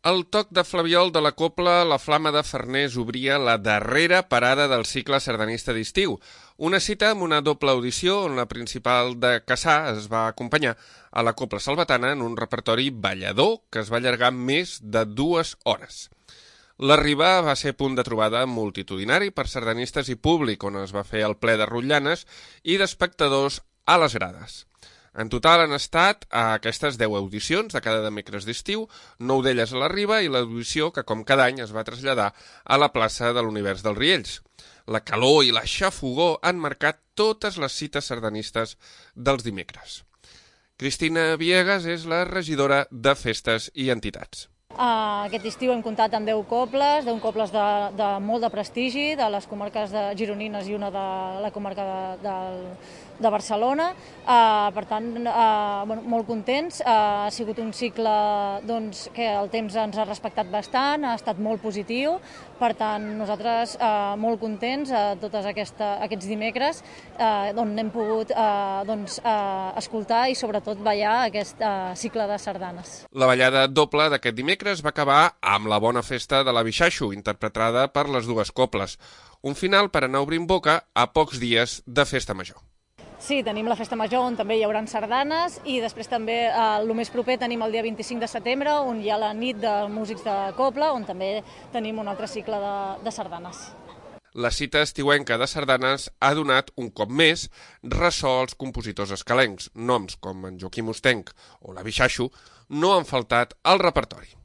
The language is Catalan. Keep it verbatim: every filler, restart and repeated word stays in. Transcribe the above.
Al toc de flabiol de la cobla, la Flama de Farners obria la darrera parada del cicle sardanista d'estiu. Una cita amb una doble audició on la principal de Cassà es va acompanyar a la cobla salvatana en un repertori ballador que es va allargar més de dues hores. L'arribar va ser punt de trobada multitudinari per sardanistes i públic, on es va fer el ple de rotllanes i d'espectadors a les grades. En total han estat a aquestes deu audicions de cada dimecres d'estiu, nou d'elles a la Riba i l'audició que, com cada any, es va traslladar a la plaça de l'Univers dels Riells. La calor i la xafogor han marcat totes les cites sardanistes dels dimecres. Cristina Viegas és la regidora de Festes i Entitats. Uh, aquest estiu hem comptat amb deu cobles, deu cobles de, de molt de prestigi, de les comarques de gironines i una de la comarca de, de, de Barcelona. Uh, per tant, uh, bueno, molt contents. Uh, ha sigut un cicle doncs, que el temps ens ha respectat bastant, ha estat molt positiu. Per tant, nosaltres uh, molt contents uh, tots aquesta, aquests dimecres uh, on hem pogut uh, doncs, uh, escoltar i sobretot ballar aquest uh, cicle de sardanes. La ballada doble d'aquest dimecres va acabar amb la bona festa de la Bixaixo, interpretada per les dues cobles. Un final per anar obrint boca a pocs dies de festa major. Sí, tenim la festa major on també hi haurà sardanes i després també eh, el més proper tenim el dia vint-i-cinc de setembre on hi ha la nit de músics de cobla on també tenim un altre cicle de, de sardanes. La cita estiuenca de sardanes ha donat un cop més ressò als compositors escalencs. Noms com en Joaquim Ostenc o la Bixaixo no han faltat al repertori.